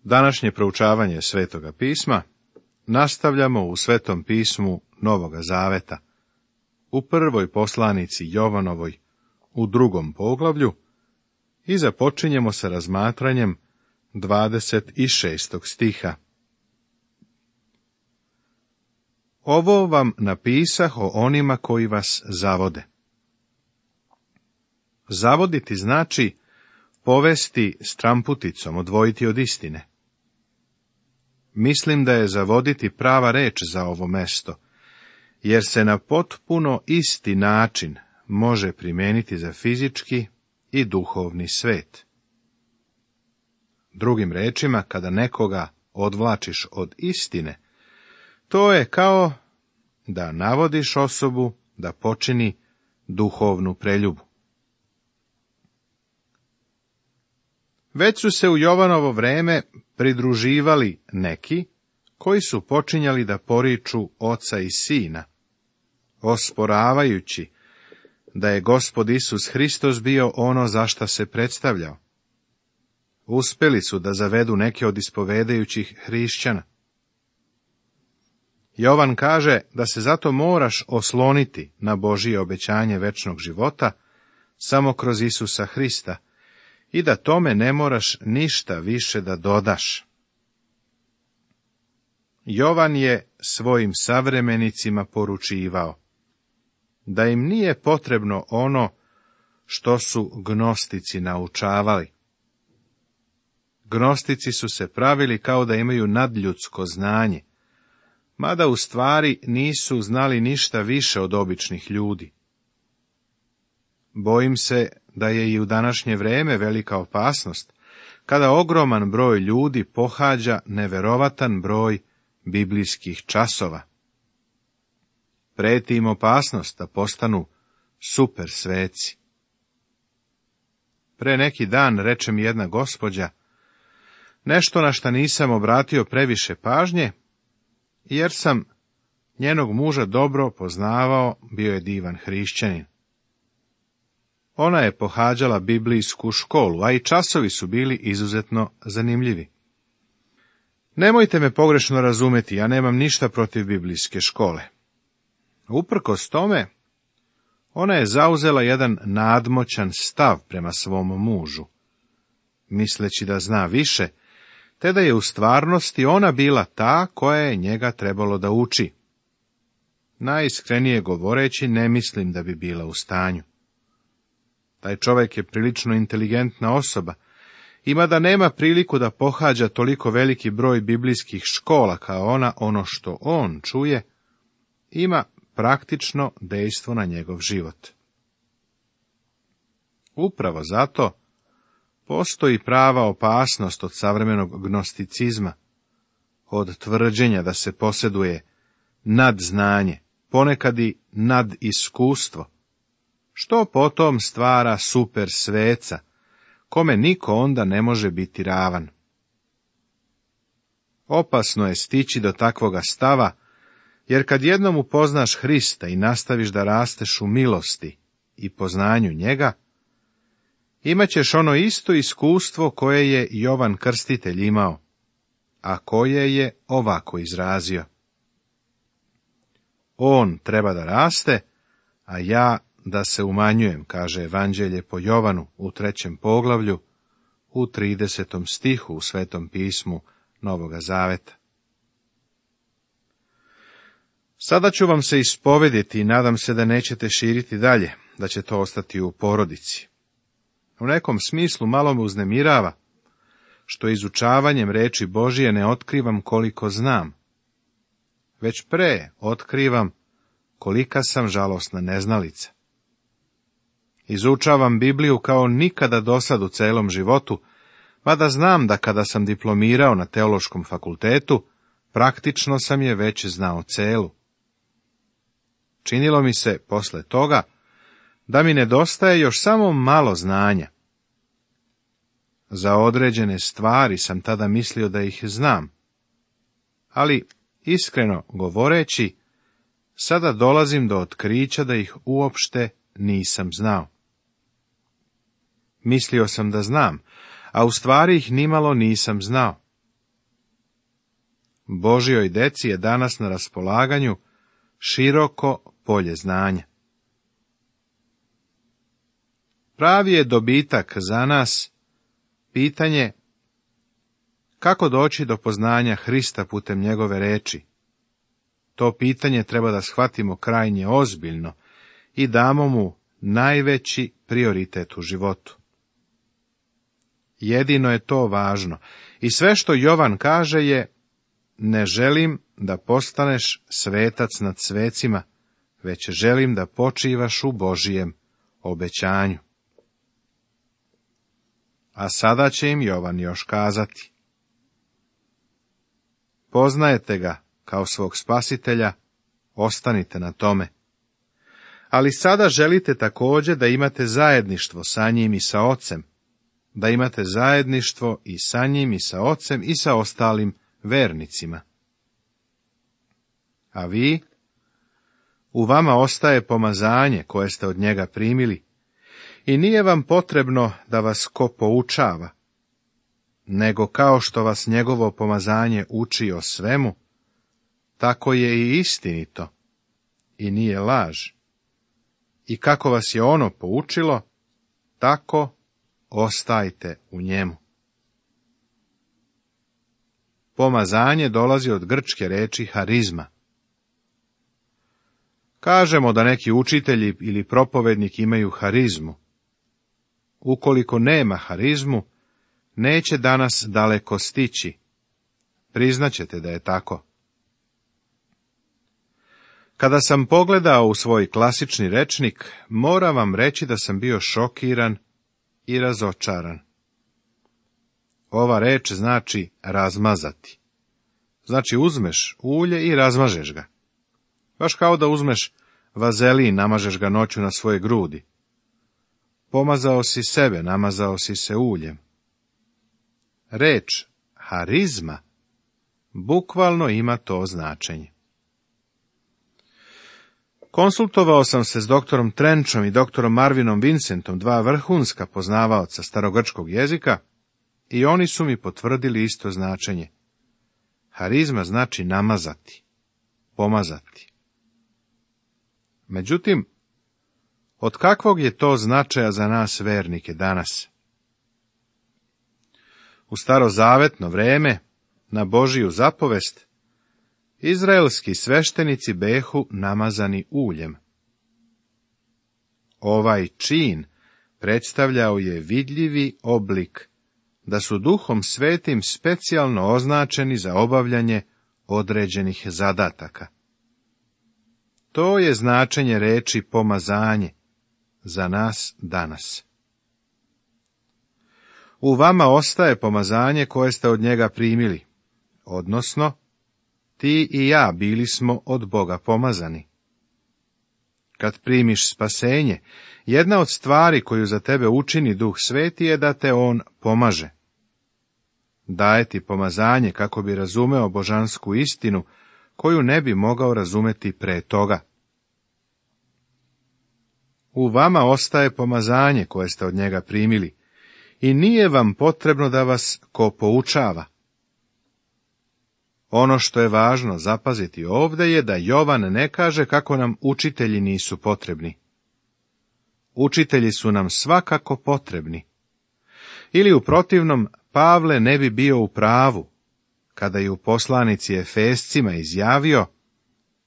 Današnje proučavanje Svetoga pisma nastavljamo u Svetom pismu Novoga Zaveta, u prvoj poslanici Jovanovoj, u 2. poglavlju, i započinjemo sa razmatranjem 26. stiha. Ovo vam napisah o onima koji vas zavode. Zavoditi znači povesti stramputicom, odvojiti od istine. Mislim da je zavoditi prava reč za ovo mesto, jer se na potpuno isti način može primijeniti za fizički i duhovni svet. Drugim rečima, kada nekoga odvlačiš od istine, to je kao da navodiš osobu da počini duhovnu preljubu. Već su se u Jovanovo vreme pridruživali neki koji su počinjali da poriču oca i sina, osporavajući da je Gospod Isus Hristos bio ono za šta se predstavljao. Uspjeli su da zavedu neke od ispovedajućih hrišćana. Jovan kaže da se zato moraš osloniti na Božje obećanje večnog života samo kroz Isusa Hrista i da tome ne moraš ništa više da dodaš. Jovan je svojim savremenicima poručivao da im nije potrebno ono što su gnostici naučavali. Gnostici su se pravili kao da imaju nadljudsko znanje, mada u stvari nisu znali ništa više od običnih ljudi. Bojim se da je i u današnje vrijeme velika opasnost, kada ogroman broj ljudi pohađa neverovatan broj biblijskih časova. Preti im opasnost da postanu super sveci. Pre neki dan reče mi jedna gospođa nešto na šta nisam obratio previše pažnje, jer sam njenog muža dobro poznavao, bio je divan hrišćanin. Ona je pohađala biblijsku školu, a i časovi su bili izuzetno zanimljivi. Nemojte me pogrešno razumjeti, ja nemam ništa protiv biblijske škole. Uprkos tome, ona je zauzela jedan nadmoćan stav prema svom mužu, misleći da zna više, te da je u stvarnosti ona bila ta koja je njega trebalo da uči. Najiskrenije govoreći, ne mislim da bi bila u stanju. Taj čovjek je prilično inteligentna osoba, ima da nema priliku da pohađa toliko veliki broj biblijskih škola kao ona, ono što on čuje, ima praktično dejstvo na njegov život. Upravo zato postoji prava opasnost od savremenog gnosticizma, od tvrđenja da se posjeduje nadznanje, ponekad i nadiskustvo, što potom stvara super sveca, kome niko onda ne može biti ravan. Opasno je stići do takvoga stava, jer kad jednom upoznaš Hrista i nastaviš da rasteš u milosti i poznanju njega, imaćeš ono isto iskustvo koje je Jovan Krstitelj imao, a koje je ovako izrazio. On treba da raste, a ja da se umanjujem, kaže Evanđelje po Jovanu u 3. poglavlju, u 30. stihu u Svetom pismu Novoga Zaveta. Sada ću vam se ispovediti i nadam se da nećete širiti dalje, da će to ostati u porodici. U nekom smislu malo me uznemirava, što izučavanjem reči Božije ne otkrivam koliko znam, već pre otkrivam kolika sam žalosna neznalica. Izučavam Bibliju kao nikada dosad u celom životu, mada znam da kada sam diplomirao na teološkom fakultetu, praktično sam je već znao celu. Činilo mi se posle toga da mi nedostaje još samo malo znanja. Za određene stvari sam tada mislio da ih znam, ali iskreno govoreći, sada dolazim do otkrića da ih uopšte nisam znao. Mislio sam da znam, a u stvari ih nimalo nisam znao, Božjoj deci je danas na raspolaganju široko polje znanja. Pravi je dobitak za nas pitanje kako doći do poznanja Hrista putem njegove reči. To pitanje treba da shvatimo krajnje ozbiljno i damo mu najveći prioritet u životu. Jedino je to važno i sve što Jovan kaže je: ne želim da postaneš svetac nad svecima, već želim da počivaš u Božijem obećanju. A sada će im Jovan još kazati: poznajete ga kao svog spasitelja, ostanite na tome. Ali sada želite također da imate zajedništvo sa njim i sa Ocem, da imate zajedništvo i sa njim i sa Ocem i sa ostalim vernicima. A vi? U vama ostaje pomazanje koje ste od njega primili i nije vam potrebno da vas ko poučava, nego kao što vas njegovo pomazanje uči o svemu, tako je i istinito i nije laž. I kako vas je ono poučilo, tako ostajte u njemu. Pomazanje dolazi od grčke reči harizma. Kažemo da neki učitelji ili propovednik imaju harizmu. Ukoliko nema harizmu, neće danas daleko stići. Priznaćete da je tako. Kada sam pogledao u svoj klasični rečnik, moram vam reći da sam bio šokiran i razočaran. Ova reč znači razmazati. Znači uzmeš ulje i razmažeš ga. Baš kao da uzmeš vazelin, namažeš ga noću na svoje grudi. Pomazao si sebe, namazao si se uljem. Reč harizma bukvalno ima to značenje. Konsultovao sam se s doktorom Trenchom i doktorom Marvinom Vincentom, dva vrhunska poznavaoca starogrčkog jezika, i oni su mi potvrdili isto značenje. Harizma znači namazati, pomazati. Međutim, od kakvog je to značaja za nas vernike danas? U starozavetno vreme, na Božiju zapovest, izraelski sveštenici behu namazani uljem. Ovaj čin predstavljao je vidljivi oblik da su Duhom Svetim specijalno označeni za obavljanje određenih zadataka. To je značenje reči pomazanje za nas danas. U vama ostaje pomazanje koje ste od njega primili, odnosno ti i ja bili smo od Boga pomazani. Kad primiš spasenje, jedna od stvari koju za tebe učini Duh Sveti je da te on pomaže. Daje ti pomazanje kako bi razumeo božansku istinu, koju ne bi mogao razumeti pre toga. U vama ostaje pomazanje koje ste od njega primili i nije vam potrebno da vas ko poučava. Ono što je važno zapaziti ovdje je da Jovan ne kaže kako nam učitelji nisu potrebni. Učitelji su nam svakako potrebni. Ili u protivnom, Pavle ne bi bio u pravu, kada je u poslanici Efescima izjavio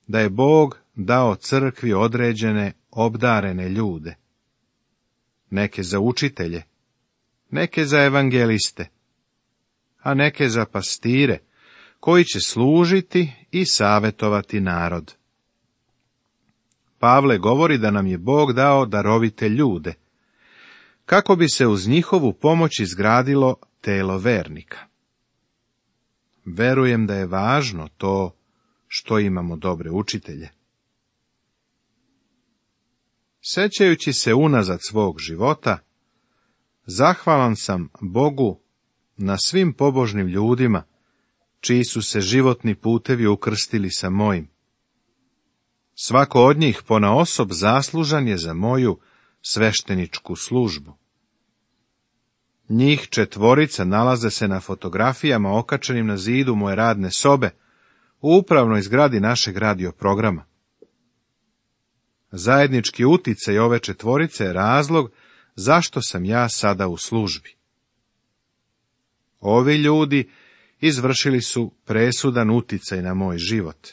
da je Bog dao crkvi određene obdarene ljude. Neke za učitelje, neke za evangeliste, a neke za pastire, koji će služiti i savjetovati narod. Pavle govori da nam je Bog dao darovite ljude, kako bi se uz njihovu pomoć izgradilo telo vernika. Verujem da je važno to što imamo dobre učitelje. Sećajući se unazad svog života, zahvalan sam Bogu na svim pobožnim ljudima, čiji su se životni putevi ukrstili sa mojim. Svako od njih ponaosob zaslužan je za moju svešteničku službu. Njih 4 nalaze se na fotografijama okačenim na zidu moje radne sobe, u upravnoj zgradi našeg radioprograma. Zajednički uticaj ove četvorice je razlog zašto sam ja sada u službi. Ovi ljudi izvršili su presudan uticaj na moj život.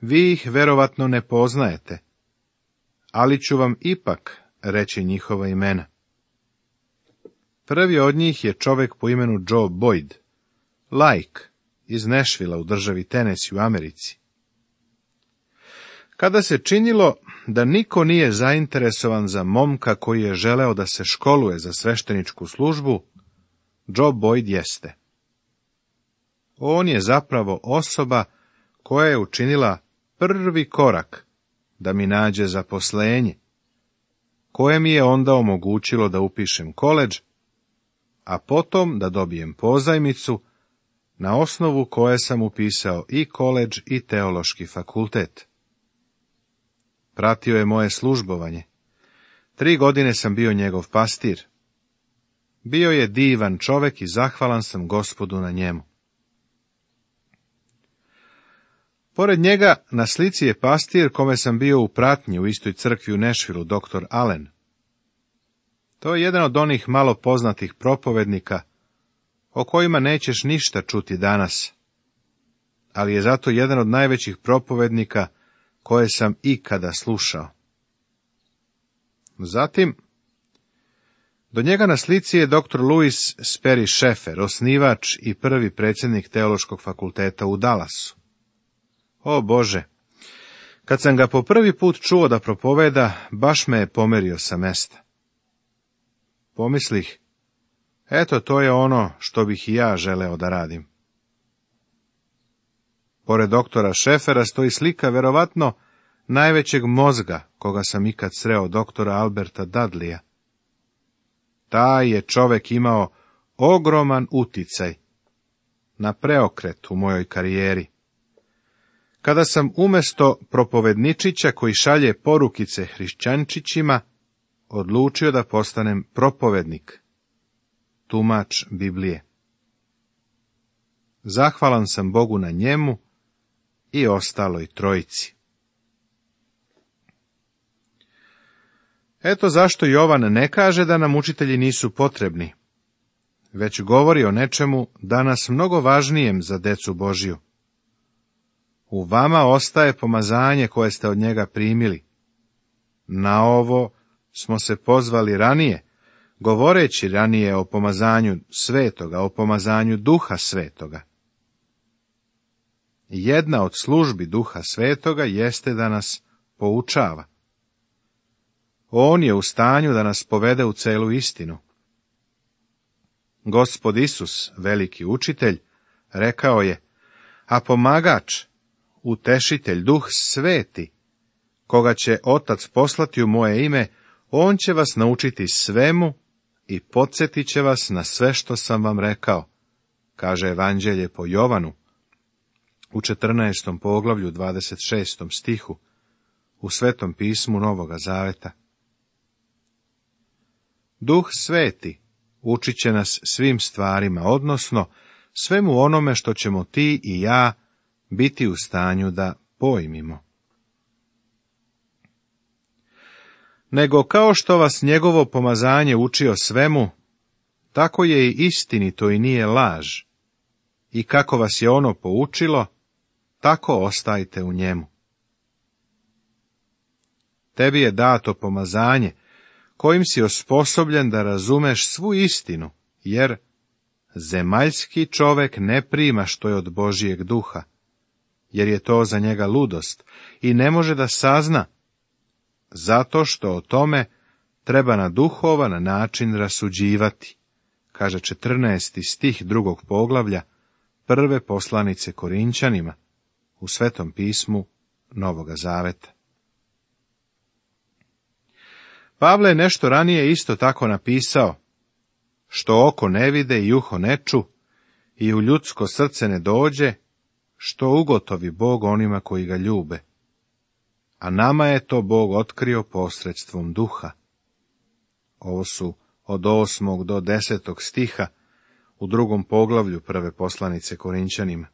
Vi ih verovatno ne poznajete, ali ću vam ipak reći njihova imena. Prvi od njih je čovjek po imenu Joe Boyd, laik iz Nashvilla u državi Tennessee u Americi. Kada se činilo da niko nije zainteresovan za momka koji je želeo da se školuje za svešteničku službu, Joe Boyd jeste. On je zapravo osoba koja je učinila prvi korak da mi nađe zaposlenje, koje mi je onda omogućilo da upišem koledž, a potom da dobijem pozajmicu, na osnovu koje sam upisao i koledž i teološki fakultet. Pratio je moje službovanje. 3 godine sam bio njegov pastir. Bio je divan čovek i zahvalan sam Gospodu na njemu. Pored njega na slici je pastir kome sam bio u pratnji u istoj crkvi u Nashvillu, dr. Allen. To je jedan od onih malo poznatih propovednika o kojima nećeš ništa čuti danas, ali je zato jedan od najvećih propovednika koje sam ikada slušao. Zatim, do njega na slici je dr. Louis Sperry Schaeffer, osnivač i prvi predsjednik teološkog fakulteta u Dallasu. O Bože, kad sam ga po prvi put čuo da propoveda, baš me je pomerio sa mesta. Pomislih, eto to je ono što bih i ja želeo da radim. Pored doktora Schaeffera stoji slika verovatno najvećeg mozga koga sam ikad sreo, doktora Alberta Dudleya. Taj je čovek imao ogroman uticaj na preokret u mojoj karijeri. Kada sam umjesto propovedničića koji šalje porukice hrišćančićima, odlučio da postanem propovednik, tumač Biblije. Zahvalan sam Bogu na njemu i ostaloj trojici. Eto zašto Jovan ne kaže da nam učitelji nisu potrebni, već govori o nečemu danas mnogo važnijem za decu Božju. U vama ostaje pomazanje koje ste od njega primili. Na ovo smo se pozvali ranije, govoreći ranije o pomazanju svetoga, o pomazanju Duha Svetoga. Jedna od službi Duha Svetoga jeste da nas poučava. On je u stanju da nas povede u celu istinu. Gospod Isus, veliki učitelj, rekao je, a pomagač, utešitelj, Duh Sveti, koga će Otac poslati u moje ime, on će vas naučiti svemu i podsjetit će vas na sve što sam vam rekao, kaže Evanđelje po Jovanu, u 14. poglavlju 26. stihu, u Svetom pismu Novoga Zaveta. Duh Sveti učit će nas svim stvarima, odnosno svemu onome što ćemo ti i ja biti u stanju da pojmimo. Nego kao što vas njegovo pomazanje učio svemu, tako je i istinito i nije laž. I kako vas je ono poučilo, tako ostajte u njemu. Tebi je dato pomazanje, kojim si osposobljen da razumeš svu istinu, jer zemaljski čovek ne prima što je od Božijeg duha, jer je to za njega ludost i ne može da sazna, zato što o tome treba na duhovan način rasuđivati, kaže 14. stih 2. poglavlja prve poslanice Korinćanima u Svetom pismu Novoga Zaveta. Pavle je nešto ranije isto tako napisao, što oko ne vide i uho ne ču, i u ljudsko srce ne dođe, što ugotovi Bog onima koji ga ljube. A nama je to Bog otkrio posredstvom Duha. Ovo su od 8. do 10. stiha u 2. poglavlju 1. poslanice Korinćanima.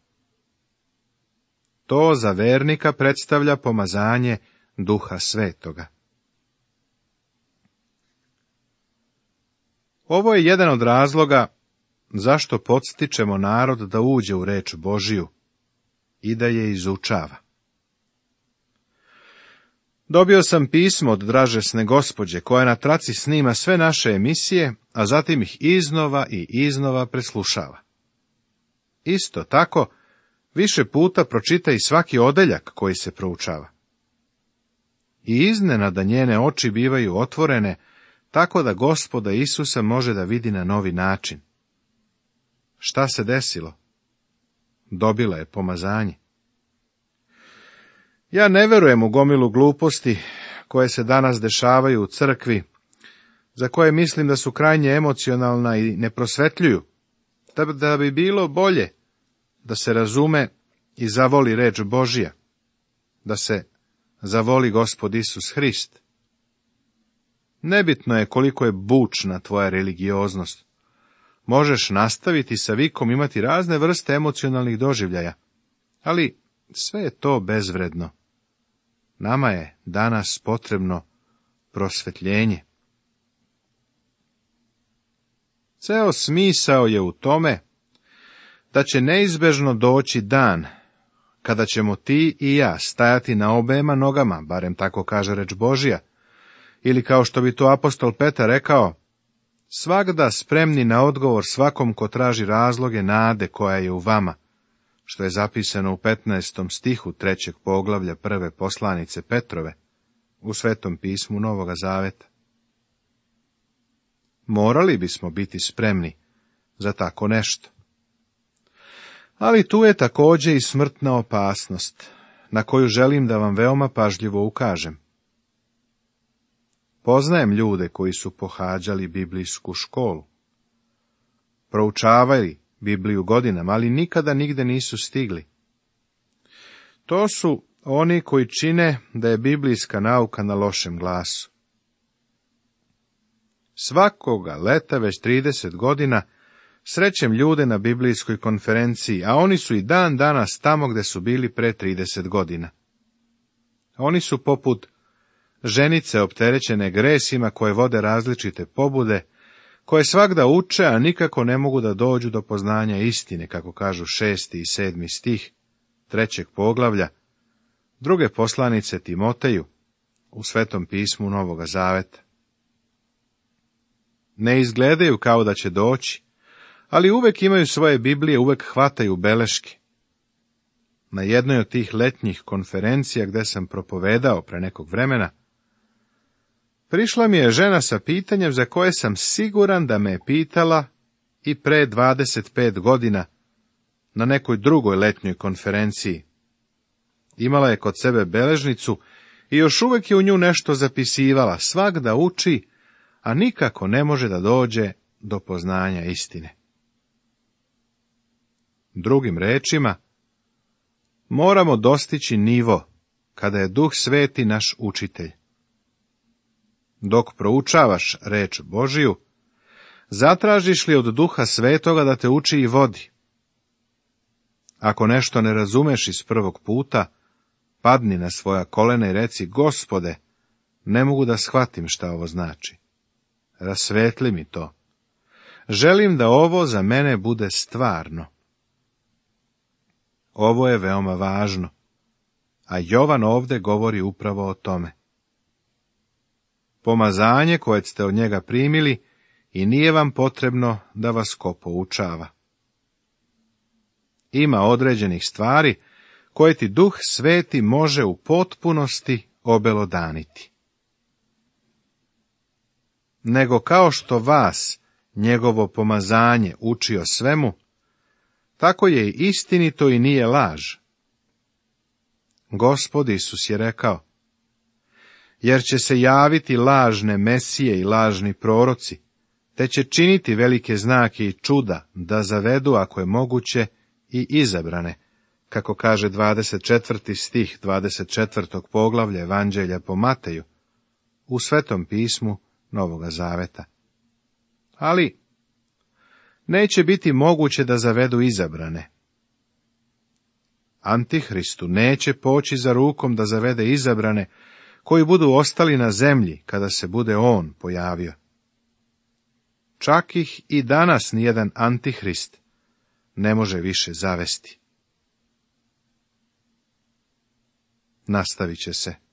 To za vernika predstavlja pomazanje Duha Svetoga. Ovo je jedan od razloga zašto podstičemo narod da uđe u reč Božiju i da je izučava. Dobio sam pismo od dražesne gospođe koja na traci snima sve naše emisije, a zatim ih iznova i iznova preslušava. Isto tako, više puta pročita i svaki odeljak koji se proučava. I iznenada njene oči bivaju otvorene, tako da Gospoda Isusa može da vidi na novi način. Šta se desilo? Dobila je pomazanje. Ja ne verujem u gomilu gluposti koje se danas dešavaju u crkvi, za koje mislim da su krajnje emocionalna i ne prosvetljuju, da bi bilo bolje da se razume i zavoli reč Božija, da se zavoli Gospod Isus Hrist. Nebitno je koliko je bučna tvoja religioznost. Možeš nastaviti sa vikom imati razne vrste emocionalnih doživljaja, ali sve je to bezvredno. Nama je danas potrebno prosvetljenje. Ceo smisao je u tome da će neizbežno doći dan kada ćemo ti i ja stajati na obema nogama, barem tako kaže reč Božja, ili kao što bi to apostol Petar rekao, svagda spremni na odgovor svakom ko traži razloge nade koja je u vama, što je zapisano u 15. stihu 3. poglavlja 1. poslanice Petrove, u Svetom pismu Novoga Zaveta. Morali bismo biti spremni za tako nešto. Ali tu je također i smrtna opasnost, na koju želim da vam veoma pažljivo ukažem. Poznajem ljude koji su pohađali biblijsku školu, proučavali Bibliju godinama, ali nikada nigde nisu stigli. To su oni koji čine da je biblijska nauka na lošem glasu. Svakoga leta već 30 godina srećem ljude na biblijskoj konferenciji, a oni su i dan danas tamo gde su bili pre 30 godina. Oni su poput ženice opterećene gresima koje vode različite pobude, koje svagda uče, a nikako ne mogu da dođu do poznanja istine, kako kažu 6. i 7. stih 3. poglavlja 2. poslanice Timoteju u Svetom pismu Novoga Zaveta. Ne izgledaju kao da će doći, ali uvek imaju svoje Biblije, uvek hvataju beleške. Na jednoj od tih letnjih konferencija gde sam propovedao pre nekog vremena, prišla mi je žena sa pitanjem za koje sam siguran da me je pitala i pre 25 godina na nekoj drugoj letnjoj konferenciji. Imala je kod sebe beležnicu i još uvek je u nju nešto zapisivala, svagda uči, a nikako ne može da dođe do poznanja istine. Drugim rečima, moramo dostići nivo kada je Duh Sveti naš učitelj. Dok proučavaš reč Božiju, zatražiš li od Duha Svetoga da te uči i vodi? Ako nešto ne razumeš iz prvog puta, padni na svoja kolena i reci, Gospode, ne mogu da shvatim šta ovo znači. Rasvetli mi to. Želim da ovo za mene bude stvarno. Ovo je veoma važno, a Jovan ovde govori upravo o tome. Pomazanje koje ste od njega primili i nije vam potrebno da vas ko poučava. Ima određenih stvari koje ti Duh Sveti može u potpunosti obelodaniti. Nego kao što vas njegovo pomazanje uči o svemu, tako je i istinito i nije laž. Gospod Isus je rekao, jer će se javiti lažne mesije i lažni proroci, te će činiti velike znake i čuda da zavedu, ako je moguće, i izabrane, kako kaže 24. stih 24. poglavlja Evanđelja po Mateju, u Svetom pismu Novoga Zaveta. Ali neće biti moguće da zavedu izabrane. Antihristu neće poći za rukom da zavede izabrane, koji budu ostali na zemlji kada se bude on pojavio. Čak ih i danas nijedan antihrist ne može više zavesti. Nastavit će se.